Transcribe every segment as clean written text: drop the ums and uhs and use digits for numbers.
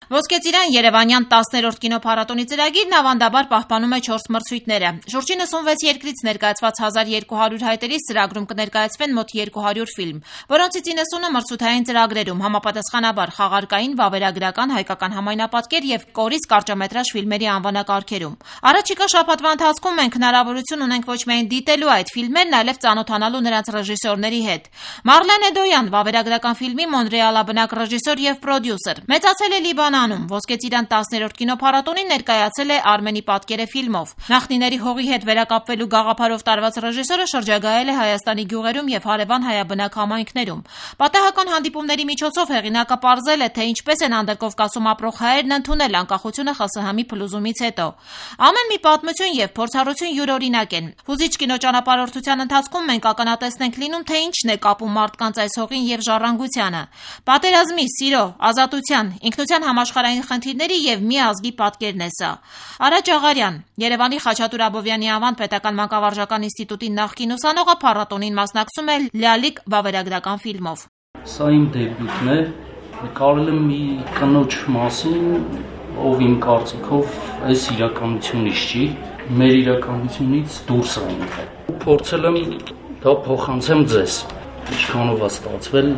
Ոսկե ծիրան Երևանյան 10-րդ կինոփառատոնի ծրագիրն ավանդաբար պահպանում է 4 մրցույթները։ Շուրջ 96 երկրից ներկայացված 1200 հայտերից ծրագրում կներկայացվեն մոտ 200 ֆիլմ, որոնցից 90-ը մրցութային ծրագրերում, համապատասխանաբար խաղարկային, վավերագրական, հայկական համայնապատկեր եւ կորից կարճամետրաժ ֆիլմերի անվանակարգերում։ Առաջիկա շաբաթվա ընթացքում մենք հնարավորություն ունենք ոչ միայն դիտելու այդ ֆիլմերն, այլև ծանոթանալու նրանց ռեժիսորների հետ։ Մարլեն Էդոյան, վավերագրական ֆիլմի մոնրեալաբնակ ռեժիսոր եւ պրոդյուսեր, մեծացել է Լիբանանում, Ոսկե ծիրան 10-րդ կինոփառատոնին ներկայացել է Արմենի պատկերը ֆիլմով։ Նախնիների հողի հետ վերակապվելու գաղափարով տարված ռեժիսորը շրջագայել է Հայաստանի գյուղերում եւ հարևան հայաբնակ համայնքներում։ Պատահական հանդիպումների միջոցով հեղինակը պարզել է, թե ինչպես են Անդրկովկասում ապրող հայերն ընդունել անկախությունը ԽՍՀՄ-ի փլուզումից հետո։ Ամեն մի պատմություն եւ փորձառություն յուրօրինակ են։ Հուզիչ կինոճանապարհորդության ընթացքում մենք ականատեսն լինում, թե ինչն է կապում մարդկանց այս հողին եւ ժառանգությանը։ Պատերազմի, սիրո, ազատության, ինքնության համաշխարհային խնդիրների եւ մի ազգի պատկերն է սա։ Արա Ջաղարյան, Երևանի Խաչատուր Աբովյանի անվան պետական մանկավարժական ինստիտուտի նախկին ուսանողը փառատոնին մասնակցում է Լալիկ վավերագրական ֆիլմով։ Սա իմ դեբյուտն է, նկարել եմ մի կնոջ մասին, ով իմ կարծիքով այս իրականությունից չի, մեր իրականությունից դուրս է ինքը։ Փորձել եմ դա փոխանցեմ ձեզ, ինչքանով է ստացվել,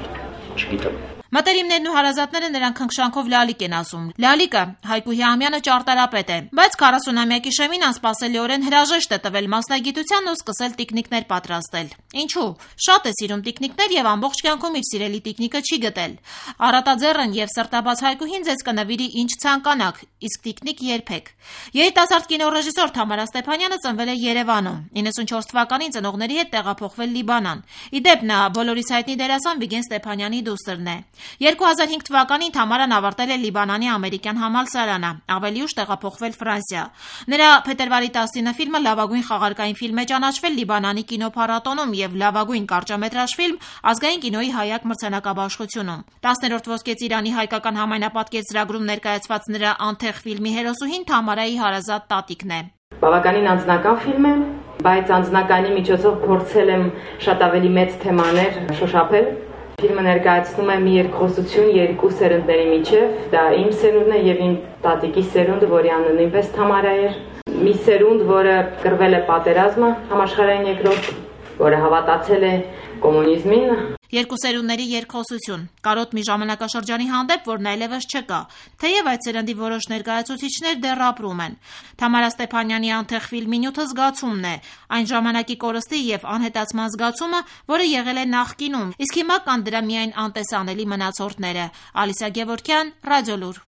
չգիտեմ։ Մտերիմներն ու հարազատները նրան քնքշանքով Լալիկ են ասում։ Լալիկը Հայկու Հիամյանը ճարտարապետ է, բայց 40-ամյակի շեմին անսպասելիորեն հրաժեշտ է տվել մասնագիտությանն ու սկսել տիկնիկներ պատրաստել։ Ինչու՞։ Շատ է սիրում տիկնիկներ եւ ամբողջ կյանքում իր սիրելի տիկնիկը չի գտել։ Առատաձեռն եւ սրտաբաց Հայկուհին ձեզ կնվիրի ինչ ցանկանաք, իսկ տիկնիկ երբեք։ Երիտասարդ կինոռեժիսոր Թամարա Ստեփանյանը ծնվել է Երևանում, 94 թվականին ծնողների հետ տեղափոխվել Լիբանան։ Իդեպ նա բոլորիս հայտնի դերասան Վիգեն Ստեփանյանի դուստրն է։ 2005 թվականին Թամարան ավարտել է Լիբանանի ամերիկյան համալսարանը, ավելի ուշ տեղափոխվել Ֆրանսիա։ Նրա փետրվարի 19 ֆիլմը լավագույն խաղարկային ֆիլմ է ճանաչվել Լիբանանի կինոփառատոնում եւ լավագույն կարճամետրաժ ֆիլմ ազգային կինոյի հայակ մրցանակաբաշխությունում։ 10-րդ Ոսկե ծիրանի հայկական համայնապատկեր ծրագրում ներկայացված նրա անթեղ ֆիլմի հերոսուհին Թամարայի հարազատ տատիկն է։ Բավականին անձնական ֆիլմ է, բայց անձնականի միջոցով փորձել եմ շատ ավելի մեծ թեմաներ շոշափել։ Ֆիլմը ներկայացնում է մի երկխոսություն երկու սերունդների միջև, դա իմ սերունդն է եւ իմ տատիկի սերունդը, որի անունը նույնպես Թամարա էր։ Մի սերունդ, որը կռվել է պատերազմը, համաշխարհային երկրորդ, որը հավատացել է կոմունիզմին։ Երկու սերունդների երկխոսություն, կարոտ մի ժամանակաշրջանի հանդեպ, որն այլևս չկա, թեև այդ սերնդի որոշ ներկայացուցիչներ դեռ ապրում են։ Թամարա Ստեփանյանի անթեղ ֆիլմի նյութը զգացումն է, այն ժամանակի կորստի եւ անհետացման զգացումը, որը եղել է նախկինում, իսկ հիմա կան դրա միայն անտեսանելի մնացորդները։ Ալիսա Գևորգյան, Ռադիոլուր։